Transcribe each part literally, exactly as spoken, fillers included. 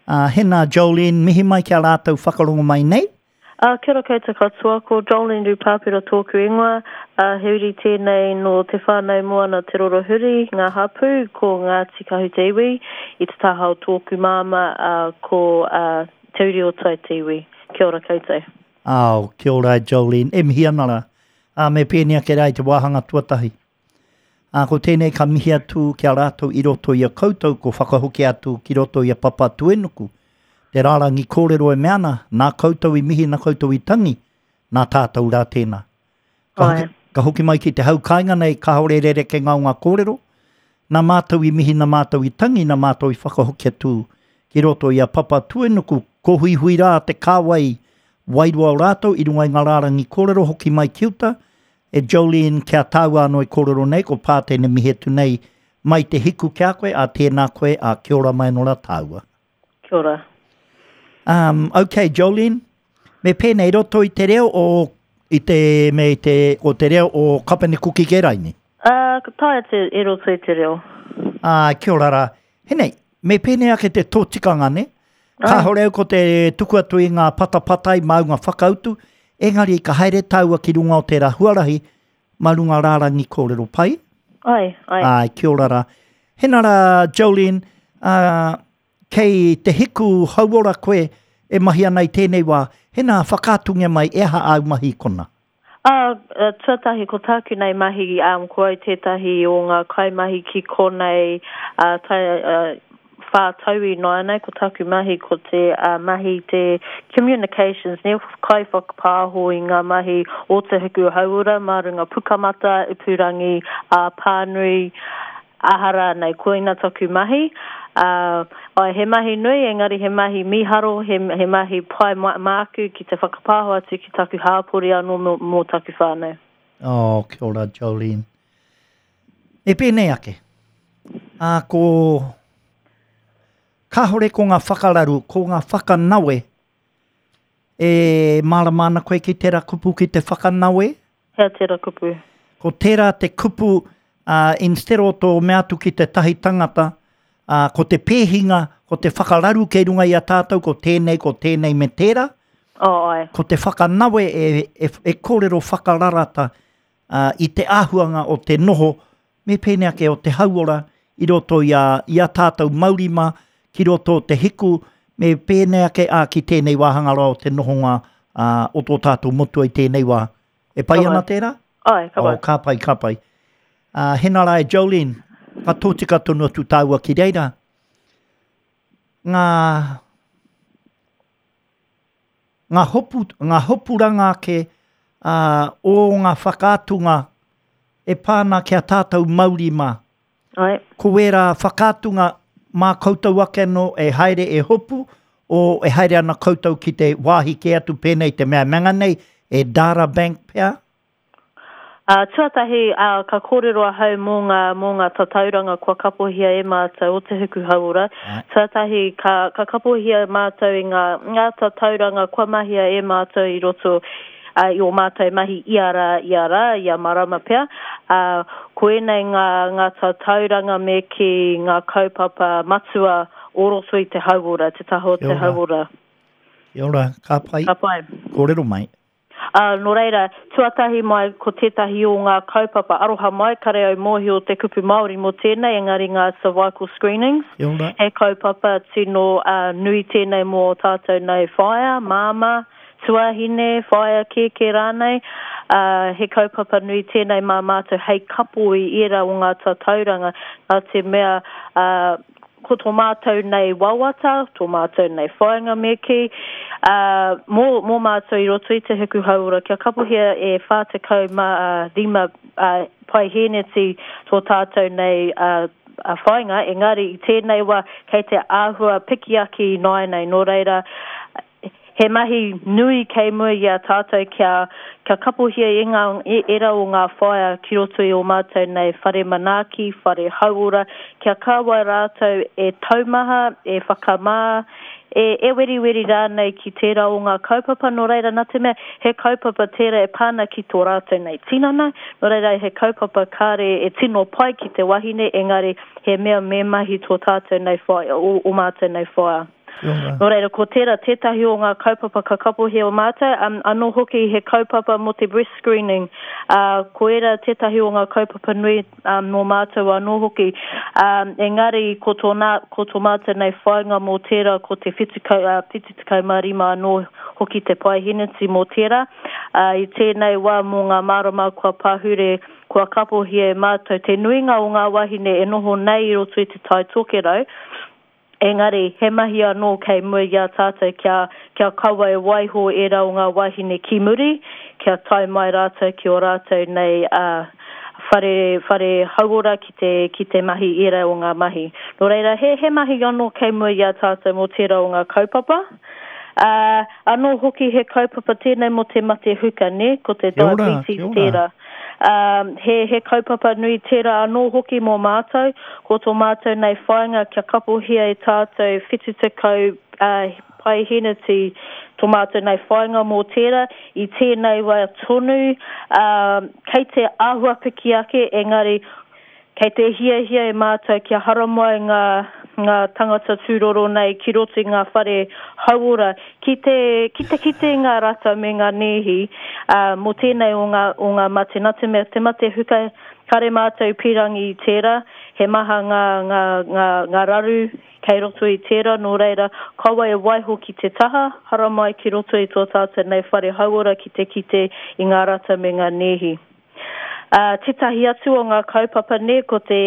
Uh, hena Jolene, mihi mai ki a rātou whakarongo mai nei. Uh, kia ora koutou katoa, ko Jolene Rupapera tōku ingoa, uh, he uri tēnei no Te Whānau Moana Te Rorohuri, ngā hapū, ko Ngāti Kahu te iwi, i te taha o tōku māma, uh, ko uh, Te Uri o Tai te iwi. Kia ora koutou. Ao, kia ora Jolene, e mihi ana rā. Uh, me pēnei ake rā i te wāhanga tuatahi. Uh, ko tēnei ka mihi atu ki a rātou i roto i a koutou, ko whakahoki atu ki roto i a Papatūānuku. Te rārangi kōrero e mea ana, nā koutou i mihi, nā koutou i tangi, nā tātou rā tēnā. Ka hoki, ka hoki mai ki te hau kāinga nei, kāore rere ke ngā o ngā kōrero, nā mātou i mihi, nā mātou i tangi, nā mātou i whakahoki atu ki roto i a Papatūānuku, ko huihui rā te kāwai wairua o rātou i runga i ngā rārangi kōrero hoki mai ki uta, e Jolene kia tāua anō i kōrero nei, ko Pātene mihi atu nei, mai te hiku ki a koe, a tēnā koe, a kia ora mai anō rā tāua. Kia ora. Um, okay, Jolene, me pēnei roto i te reo o, i te, me te, o te reo o Kapene Kuki Keraini? Uh, ka taea te e roto i te reo. Ah, kia ora rā. Henei, me pēnei ake te tōtikanga, ne? Kāhore au ko te tuku atu i ngā patapatai māu ngā whakautu, engari ka haere tāua ki runga o tērā huarahi, mā runga rārangi kōrero pai. Ai, ai. Ai, kia ora rā. Hena rā, Jolene, uh, kei te hiku hauora koe e mahi ana i tēnei wā, hena whakaatungia mai e aha āu mahi kona? Ah, uh, tuatahi ko tāku nei mahi, um, ko au tētahi o ngā kaimahi ki konei, uh, tai, uh, whā tau i nāianei, ko tāku mahi ko te uh, mahi te communications, ne, kai whakapāho i ngā mahi o te hiku hauora, mā runga pukamata, ipurangi, uh, pānui, aha rānei, koina taku mahi. Uh, ai, he mahi nui, engari he mahi miharo, he, he mahi pai māku ki te whakapāho atu ki taku hāpori anō mō, mō taku whānau. Oh, kia ora, Jolene. E pēnei ake, uh, ko kāhore ko ngā whakararu, ko ngā whakanawe, e mārama ana koe ki tērā kupu ki te whakanawe? Hea tērā kupu? Ko tērā te kupu, uh, instead o tō mea atu ki te tahi tangata, uh, ko te pēhinga, ko te whakararu kei runga i a tātou, ko tēnei, ko tēnei me tērā. Oh, ai. Ko te whakanawe e, e, e kōrero whakararata uh, i te āhuanga o te noho, me pēnei ake o te hauora i roto i a, i a tātou maurima, ki roto o te hiku, me pēnei ake a ki tēnei wāhanga roa o te nohonga uh, o tō tātou motua i tēnei wā. E pai ana tērā? Ai, ka pai. Oh, ka pai, ka pai. Uh, hena rā e Jolene, ka tōtika tonu atu tāua ki reira. Ngā, ngā, hopu, ngā hopuranga ake uh, o ngā whakaatunga e pāna ki a tātou mauri mā. Ai. Ko wērā whakaatunga mā koutou ake anō e haere e hopu, o e haere ana koutou ki te wāhi ke atu pēnei te mea manga nei, e Data Bank pea? Uh, tuatahi, uh, ka kōrero ahau mō ngā, mō ngā tatauranga kua kapohia e mātou o te huku hauora. Ai. Tuatahi, ka, ka kapohia mātou i ngā, ngā tatauranga kua mahia e mātou i roto uh, i o mātou mahi ia rā, ia rā, ia marama pea. Uh, ko ēnei ngā, ngā tatauranga me ki ngā kaupapa matua o roto i te hauora, te taha o te Kia ora. hauora. Kia ora, ka pai. Ka pai. Kōrero mai. Uh, nō reira, tuatahi mai ko tētahi o ngā kaupapa aroha mai, kare au mōhio te kupu Māori mō tēnei, engari ngā cervical screenings. Kia ora. He kaupapa tino uh, nui tēnei mō tātou nei whaea, māmā, tuahine, whaea kēkē rānei. Uh, he kaupapa nui tēnei mā mātou hei kapo i ērā o ngā tatauranga, nā te mea uh, ko tō mātou nei wawata, tō mātou nei whāinga me ki, uh, mō, mō mātou i roto i te hiku hauora, kia kapohia e whā tekau mā rima uh, paihēneti tō tātou nei uh, a whāinga, engari i tēnei wā kei te āhua piki ake i nāianei, nō reira, he mahi nui kei mua i a tātou kia, kia kapohia e ngā, e, era o ngā whaea ki roto i o mātou nei whare manaaki, whare hauora, kia kāwai rātou e taumaha, e whakamā, e, e weriweri rānei ki tērā o ngā kaupapa, nō reira, nā te mea, he kaupapa tērā e pāna ki tō rātou nei tinana, nō reira he kaupapa kāre e tino pai ki te wahine, engari he mea me mahi tō tātou nei whaea, o, o mātou nei whaea. Nō reira, ko tērā tētahi o ngā kaupapa ka kapohia o mātou, um, anō hoki he kaupapa mō te breast screening. Uh, ko ērā tētahi o ngā kaupapa nui um, mō mātou anō hoki. Um, engari, ko tō, nā, ko tō mātou nei whāinga mō tērā, ko te whitu kau, uh, whitu tekau mā rima anō hoki te paeheneti mō tērā. Uh, i tēnei wā mō ngā marama kua pahure, kua kapohia e mātou te nuinga o ngā wahine e noho nei i roto i te Tai Tokerau. Engari, he mahi anō kei mua i a tātou kia, kia kaua e waiho ērā o ngā wahine ki muri, kia tae mai rātou ki o rātou nei uh, whare, whare hauora ki te, ki te mahi ērā o ngā mahi. Nō reira, he, he mahi anō kei mua i a tātou mō tērā o ngā kaupapa. Uh, anō hoki he kaupapa tēnei mō te mate huka, ne? Ko te Kia ora, diabetes kia ora. tērā. Um, he, he kaupapa nui tērā anō hoki mō mātou, ko tō mātou nei whāinga kia kapohia e tātou whitu tekau uh, paeheneti tō mātou nei whāinga mō tērā, i tēnei wā tonu, um, kei te āhua piki ake, engari kei te hiahia e mātou kia haramai ngā, ngā tangata tūroro nei ki roto i ngā whare hauora, ki te, ki te kite ngā rata me ngā nēhi, uh, mō tēnei o ngā, o ngā mate. Nā te mea, te mate huka, kare mātou pīrangi i tērā, he maha ngā, ngā, ngā, ngā raru kei roto i tērā, nō reira, kaua e waiho ki te taha, haramai ki roto i tō tātou nei whare hauora ki te kite i ngā rata me ngā nēhi. Uh, tētahi atu o ngā kaupapa ne, ko te,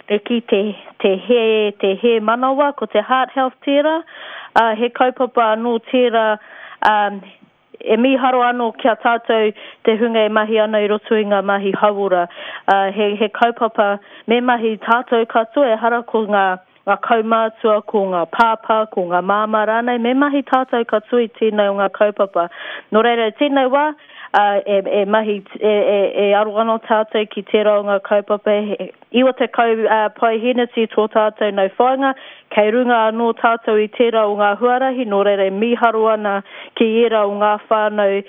te, ki te, te, he, te he manawa, ko te heart health tērā. Uh, he kaupapa anō tērā, um, e mīharo anō kia tātou te hunga e mahi ana i roto i ngā mahi hauora. Uh, he, he kaupapa me mahi tātou katoa, ehara ko ngā, ngā kaumātua, ko ngā pāpā, ko ngā māmā rānei, me mahi tātou katoa i tēnei o ngā kaupapa. Nō reira, tēnei wā, uh, e, e mahi, e, e, e aro ana tātou ki tērā o ngā kaupapa, he, iwa tekau uh, paeheneti tō tātou nau whāinga, kei runga anō tātou i tērā o ngā huarahi, nō reira e mīharo ana ki ērā o ngā whānau e,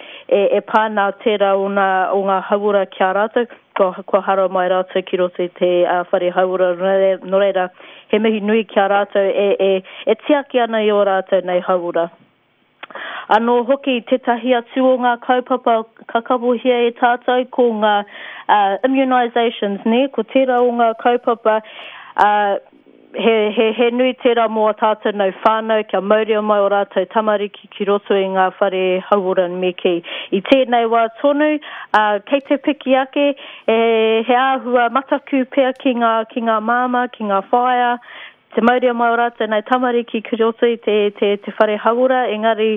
e pānā tērā o ngā, o ngā hauora ki a rātou, kua, kua hara mai rātou ki roto i te uh, whare hauora, nō reira, he mihi nui ki a rātou e, e, e tiaki ana i o rātou nei hauora. Anō hoki tētahi atu o ngā kaupapa ka kapohia e tātou ko ngā uh, immunizations, ne? Ko tērā o ngā kaupapa, uh, he, he, he nui tērā mō a tātou nau whānau kia mauria mai o rātou tamariki ki roto i ngā whare hauora me kī. I tēnei wā tonu, uh, kei te piki ake, e, he āhua mataku pea ki ngā, ki ngā māmā, ki ngā whaea, te mauria mai o rātou nei tamariki ki roto i te, te, te whare hauora, engari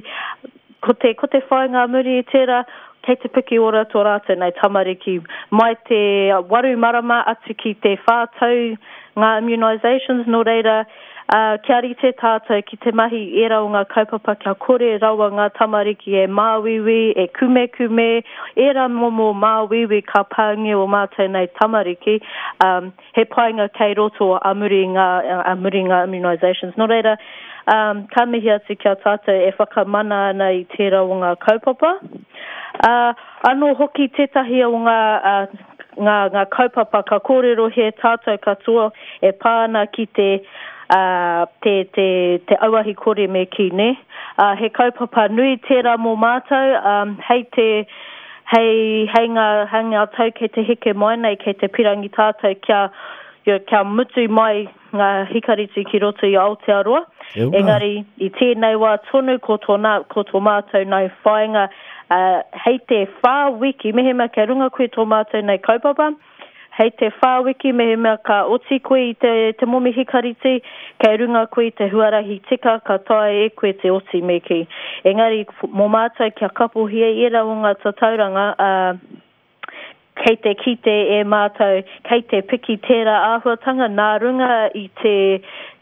ko te, ko te whāinga muri i tērā, kei te piki ora tō rātou nei tamariki. Mai te waru marama atu ki te whā tau ngā immunizations, nō reira, uh, kia rite tātou ki te mahi ērā o ngā kaupapa kia kore rawa ngā tamariki e māuiui, e kumekume, ērā momo māuiui ka pāngia o mātou nei tamariki, um, he painga kei roto a muri ngā, a muri ngā immunizations. Nō reira, um, ka mihi atu kia tātou e whakamana ana i tērā o ngā kaupapa. Uh, anō hoki tētahi o ngā, uh, ngā, ngā kaupapa ka kōrero he tātou katoa e pā ana ki te, uh, te, te, te auahi kore me kī, ne? Uh, he kaupapa nui tērā mō mātou, um, hei te, hei, hei ngā, hei ngā tau kei te heke mai nei, kei te pirangi tātou kia, kia mutu mai ngā hikariti ki roto i Aotearoa. Kia ora. Engari, i tēnei wā tonu ko tō, nā, ko tō mātou nei whāinga, uh, hei te whā wiki, mehemea kei runga koe tō mātou nei kaupapa, hei te whā wiki mehemea ka oti koe i te, te momi hikariti, kei runga koe i te huarahi tika, ka taea e koe te oti me kī. Engari, mō mātou kia kapohia ērā o ngā tatauranga, uh, kei te kite e mātou, kei te piki tērā āhuatanga nā runga i te,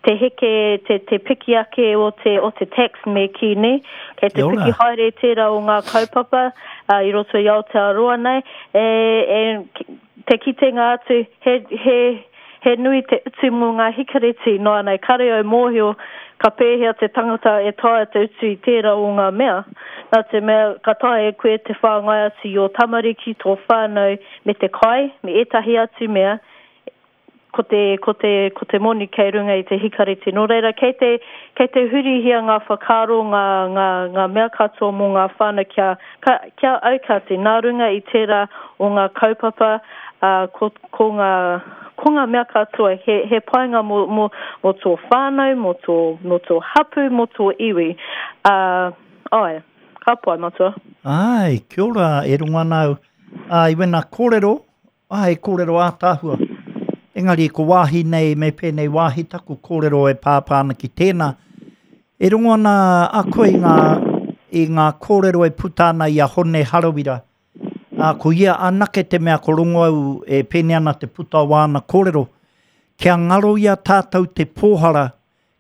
te heke, te, te piki ake o te, o te tax me kī, ne? Kei te Kia ora. piki haere tērā o ngā kaupapa, uh, i roto i Aotearoa nei, e, e, te kitenga atu, he, he, he nui te utu mō ngā hikareti, noa nei, kare au mōhio, ka pēhea te tangata e taea te utu i tērā o ngā mea. Nā te mea, ka taea e koe te whāngai atu i ō tamariki, tō whānau, me te kai, me ētahi atu mea, ko te, ko te, ko te moni kei runga i te hikareti. Nō reira, kei te, kei te hurihia ngā whakaaro, ngā, ngā, ngā mea katoa mō ngā whānau kia, ka, kia aukati. Nā runga i tērā o ngā kaupapa, uh, ko, ko ngā, ko ngā mea katoa, he, he painga mō, mō, mō tō whānau, mō tō, mō tō hapu, mō tō iwi. Uh, ai, ka pai, matua. Ai, kia ora, e runga ana au. Ā, i wena kōrero, ai, kōrero ātaahua. Engari, ko wāhi nei, me pēnei wāhi taku kōrero e pāpā ana ki tēnā. E rongo ana a koe i ngā, i ngā kōrero e puta ana i a Hone Harawira. Ā, ko ia anake te mea ko rongo au e pēnei ana te puta o āna kōrero. Kia ngaro i a tātou te pōhara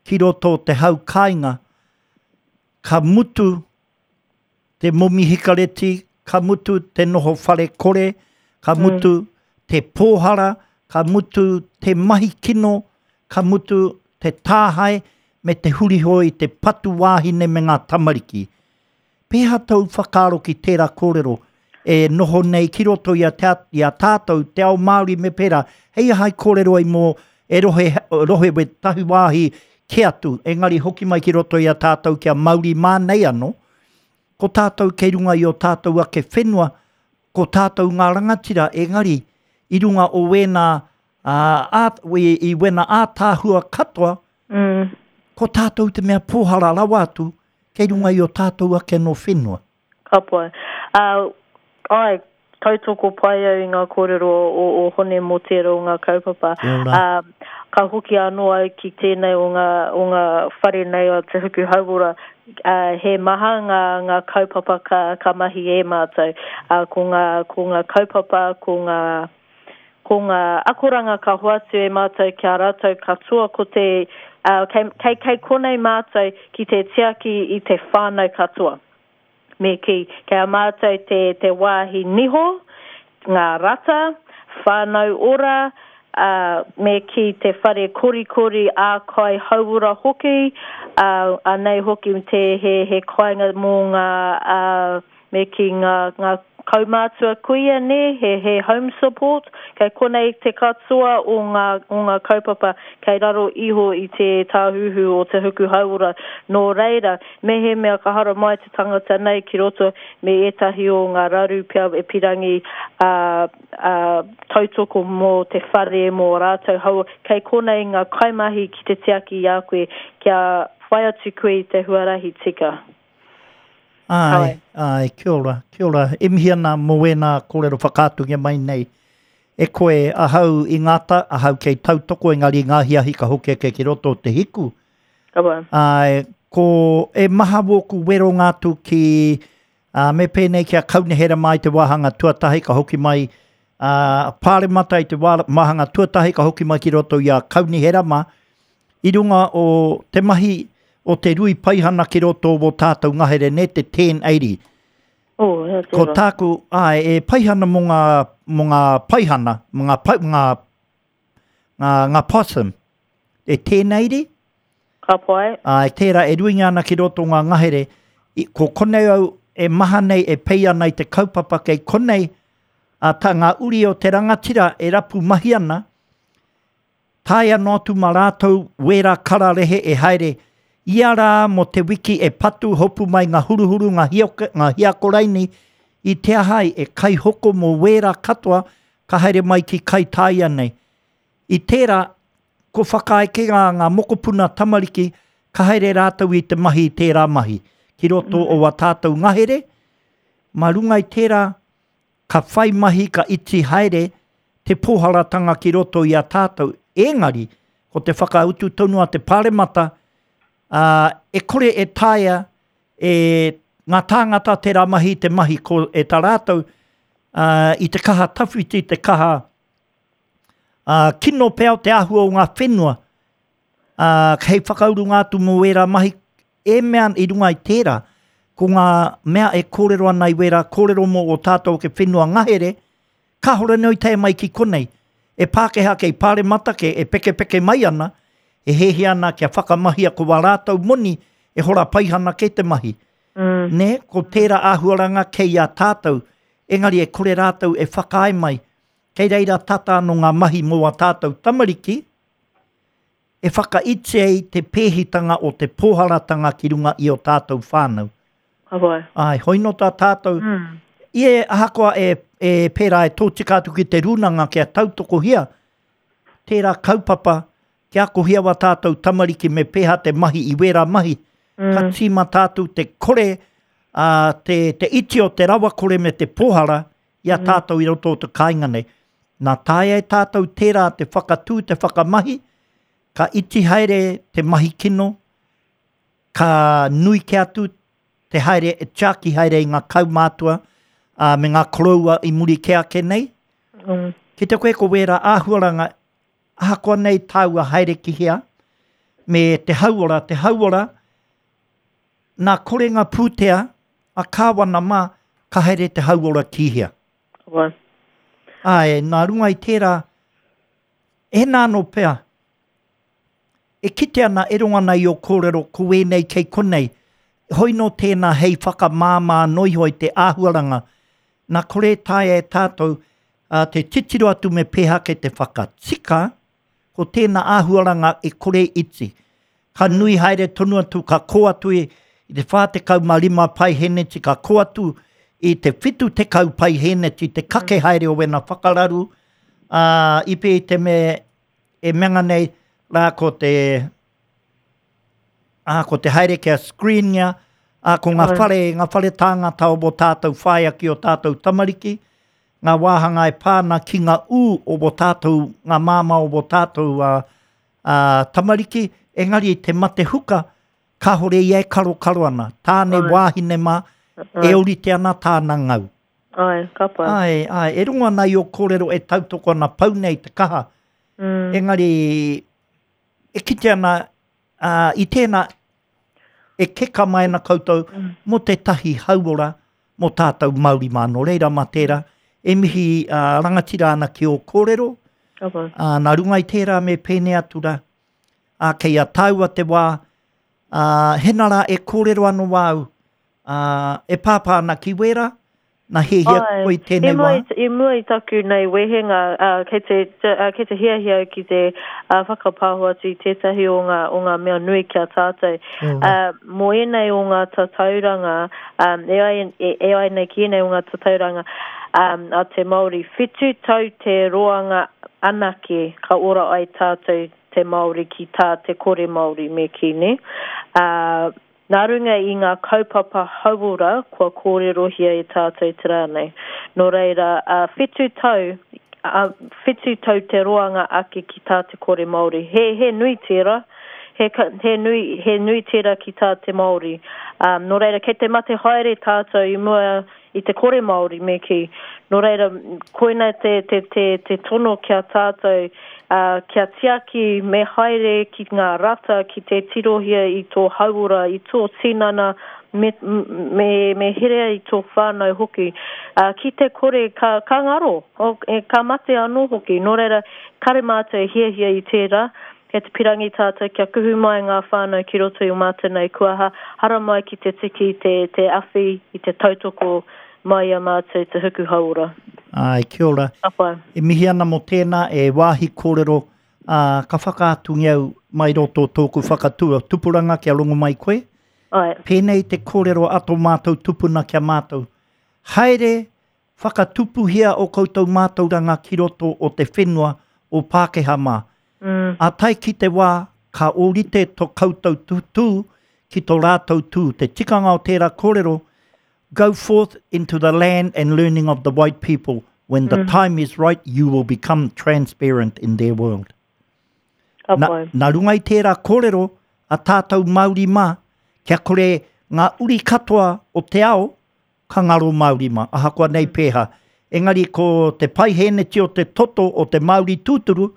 ki roto o te hau kāinga, ka mutu te momi hikareti, ka mutu te noho whare kore, ka mutu mm. te pōhara, ka mutu te mahi kino, ka mutu te tāhae me te huriho i te patu wāhine me ngā tamariki. Pēhea tōu whakaaro ki tērā kōrero e noho nei ki roto i a, te, i a tātou, te ao Māori me pērā, hei aha i kōrero ai mō e rohe, rohe we tahi wāhi ke atu, engari hoki mai ki roto i a tātou kia mauri mā nei anō, ko tātou kei runga i o tātou ake whenua, ko tātou ngā rangatira, engari i runga o wēnā, uh, i, i wēnā ātāhua katoa, mm. ko tātou te mea pōhara rawa atu, kei runga i o tātou ake no whenua. Ka pai. Uh, ai, tautoko pai au i ngā kōrero o, o Hone mō tērā o ngā kaupapa. Uh, ka hoki anō au ki tēnei o ngā, o ngā whare nei o Te Huku Hauora, uh, he maha ngā, ngā kaupapa ka, ka mahi e mātou. Uh, ko ngā, ko ngā kaupapa, ko ngā, ko ngā akoranga ka hoatu e mātou kia rātou katoa ko te, uh, kei, kei, kei konei mātou ki te tiaki i te whānau katoa. Me ki, kei a mātou te, te wāhi niho, ngā rata, whānau ora, uh, me ki te whare korikori ā kai hauora hoki, uh, anei hoki te he, he kāinga mō ngā, uh, me ki ngā, ngā kaumātua kuia ne, he, he home support, kei konei te katoa o ngā, o ngā kaupapa kei raro iho i te tāhuhu o Te Huku Hauora. Nō reira, mehemea ka hara mai te tangata nei ki roto me ētahi o ngā raru pea e pirangi uh, uh, tautoko mō te whare, mō rātou hau, kei konei ngā kaimahi ki te tiaki i a koe, kia whai atu koe i te huarahi tika. Ai, ai, kia ora, kia ora. E mihi ana mō wēnā kōrero whakaatungia mai nei. E koe ahau i ngāta, ahau kei tautoko engari ngā hiahi ka hoki ake ki roto o te hiku. Kawa. Ai, ko e maha wōku wero ngātu ki, uh, me pēnei kia kaunihera mai te wāhanga tuatahi ka hoki mai, uh, pāremata i te wāhanga tuatahi ka hoki mai ki roto i a kaunihera mā, i runga o te mahi o te rui paihana ki roto o tātou ngahere ne, te ten eighty. Oh, yeah, ko tāku, ai, e paihana mō ngā, mō ngā paihana, mō ngā, pa, ngā, ngā, ngā possum. E ten eighty? Ka pai. Ai, tērā e ruinga ana ki roto ngā ngahere. I, ko konei au e maha nei e pei ana i te kaupapa kei konei, a tā ngā uri o te rangatira e rapu mahi ana, tae anō atu mā rātou wērā kararehe e haere ia rā mō te wiki e patu hopu mai ngā huruhuru, ngā, hioke, ngā hiakoraini, i te ahai e kaihoko mō wērā katoa ka haere mai ki Kaitāia nei. I tērā, ko whakaeke ngā, ngā mokopuna tamariki, ka haere rātou i te mahi i tērā mahi. Ki roto o a tātou ngahere, mā runga i tērā, ka whai mahi ka iti haere te pōharatanga ki roto i a tātou. Engari, ko te whakautu tonu a te pāremata, Uh, e kore e taea e ngā tāngata tērā mahi te mahi ko e tā rātou uh, i te kaha tawhiti, te kaha uh, kino pea o te āhua o ngā whenua uh, hei whakauru ngā atu mō wērā mahi e mea i runga i tērā, ko ngā mea e kōrero ana i wērā kōrero mō o tātou ke whenua ngahere, kāhore nei tae mai ki konei. E Pākehā kei pāremata ke e pekepeke mai ana, e hehi ana kia whakamahia ko wā rātou moni e hora paihana ke te mahi. Mm. Ne, ko tērā āhuaranga kei a tātou, engari e kore rātou e whakaae mai. Kei reira tata anō ngā mahi mō a tātou tamariki, e whakaiti ai te pēhitanga o te pōharatanga ki runga i o tātou whānau. Ka pai. Ai, hoi nō tā tātou, Mm. i e ahakoa e, e pērā e tōtika atu ki te rūnanga kia tautokohia, tērā kaupapa, kia akohia wa tātou tamariki me pēhā te mahi i wērā mahi, Mm. ka tīma tātou te kore, uh, te, te iti o te rawakore me te pōhara i a tātou i roto o te kāinga nei. Nā taea e tātou tērā te whakatū, te whakamahi, ka iti haere te mahi kino, ka nui ke atu te haere, e tiaki haere i ngā kaumātua uh, me ngā koroua i muri ke ake nei. Mm. Ki te koe ko wērā āhuaranga, ahakoa nei tāua haere ki hea, me te hauora, te hauora, nā kore ngā pūtea, a kāwana mā, ka haere te hauora ki hea. Ka pai. Ai, nā runga i tērā, e nā no pea, e kite ana e rongo ana i o kōrero ko wēnei kei konei, hoi no tēnā hei whakamāmā noi hoi te āhuaranga, nā kore taea e tātou uh, te titiro atu me pēhake te whakatika, ko tēnā āhuaranga e kore iti. Ka nui haere tonu atu, ka kō atu i, i te whā tekau mā rima paiheneti, ka kō atu i te whitu tekau paiheneti, te kake haere o wena whakararu, uh, i pē i te me e menga nei rā ko te ā, ko te haere kia screenia, ā, ko ngā Ai. whare, ngā whare tāngata o bo tātou whaea ki o tātou tamariki, ngā wāhanga e pāna ki ngā ū o bo tātou, ngā māma o bo tātou uh, uh, tamariki, engari te mate huka, kāhore ia e karo karo ana. Tāne Ai. wāhine mā, Ai. e orite ana tāna ngau. Ai, ka pai. Ai, ai, e rongo ana i o kōrero e tautoko ana pau nei te kaha. Mm. Engari, e kite ana, uh, i tēnā, e keka mai ana koutou Mm. mō te tahi hauora, mō tātou Māori mā. Nō reira mā tērā, e mihi uh, rangatira ana ki o kōrero, Ka pai. uh, nā runga i tērā me pēne atu rā, uh, kei a tāua te wā, uh, hena rā e kōrero anō wāu, uh, e pāpā ana ki wērā, nā hehia Ai, koe tēnei I mua wā. i, i mua i taku nei wehenga, uh, kei te, te, uh, kei te hiahia au ki te uh, whakapāho atu i tētahi o ngā, o ngā mea nui ki a tātou. Uh, mō ēnei o ngā tatauranga, um, e, ai, e, e ai nei ki ēnei o ngā tatauranga um, a te Māori, whitu tau te roanga anake ka ora ai tātou te Māori ki tā te kore Māori me ki ne. Uh, nā runga i ngā kaupapa hauora kua kōrerohia e tātou te rā nei. Nō reira, uh, whitu tau, uh, whitu tau te roanga ake ki tā te kore Māori. He, he nui tērā, he, ka- he, nui, he nui tērā ki tā te Māori. Um, nō reira, kei te mate haere tātou i mua i te kore Māori me ki. Nō reira, koina te, te, te, te tono kia tātou, uh, kia tiaki me haere ki ngā rata, ki te tirohia i tō hauora, i tō tinana, me, me, me herea i tō whānau hoki. Uh, ki te kore ka, ka ngaro, o, e, ka mate anō hoki. Nō reira, kare mātou e hiahia i tērā, kei te pirangi tātou kia kuhu mai ngā whānau ki roto i o mātou nei kuaha, hara mai ki te tiki, te, te awhi, i te tautoko mai a mātou te huku hauora. Ai, kia ora. Ka pai. E mihi ana mō tēnā e wāhi kōrero, uh, ka whakaatungi au mai roto o tōku whakatua tupuranga kia rongo mai koe. Ai, Pēnei te kōrero a tō mātou tupuna kia mātou. Haere whakatupuhia o koutou mātauranga ki roto o te whenua o Pākehā mā. mm, A tae ki te wā, ka ōrite tō koutou tū ki tō rātou tū. Te tikanga o tērā kōrero, go forth into the land and learning of the white people. When the time is right, you will become transparent in their world. ka Na, pai. nā runga i tērā kōrero a tātou Māori mā, kia kore ngā uri katoa o te ao, ka ngaro Māori mā, ahakoa nei pēhā. Engari ko te paiheneti o te toto o te Māori tūturu,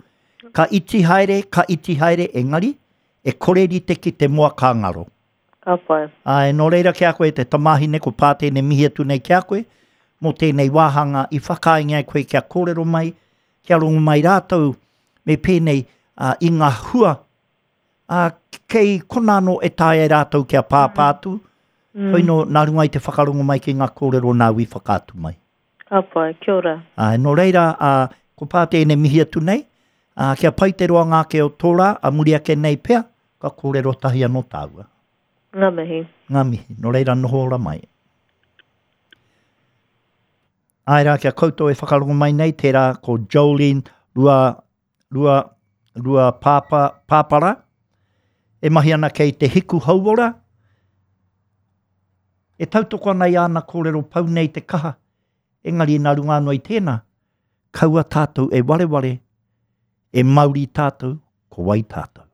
ka iti haere, ka iti haere, engari, e kore rite ki te moa ka ngaro. Ka pai. Ai, nō reira ki a koe te tamāhine ko pātēne mihi atu nei ki a koe, mō tēnei wāhanga i whakaainga koe kia kōrero mai, kia rongo mai rātou, me pēnei uh, i ngā hua, uh, kei kona anō e taea e rātou kia pāpā atu, mm. hoi nō nā runga i te whakarongo mai ki ngā kōrero nāu i whakaatu mai. Ka pai, kia ora. Ai, nō reira, uh, Ko pā tēnei mihi atu nei, ā, kia pai te roanga ake o tō rā, a muri ake nei pea, ka kōrero tahi anō tāua. Ngā mihi. Ngā mihi. Nō reira, noho ora mai. Āe rā, kia koutou e whakarongo mai nei, tērā ko Jolene Rua, Rua, Rua Pāpa, Pāpara, e mahi ana kei te Hiku Hauora, e tautoko ana i āna kōrero pau nei te kaha, engari nā runga anō i tēnā, kaua tātou e wareware, e mauri tātou, ko wai tātou.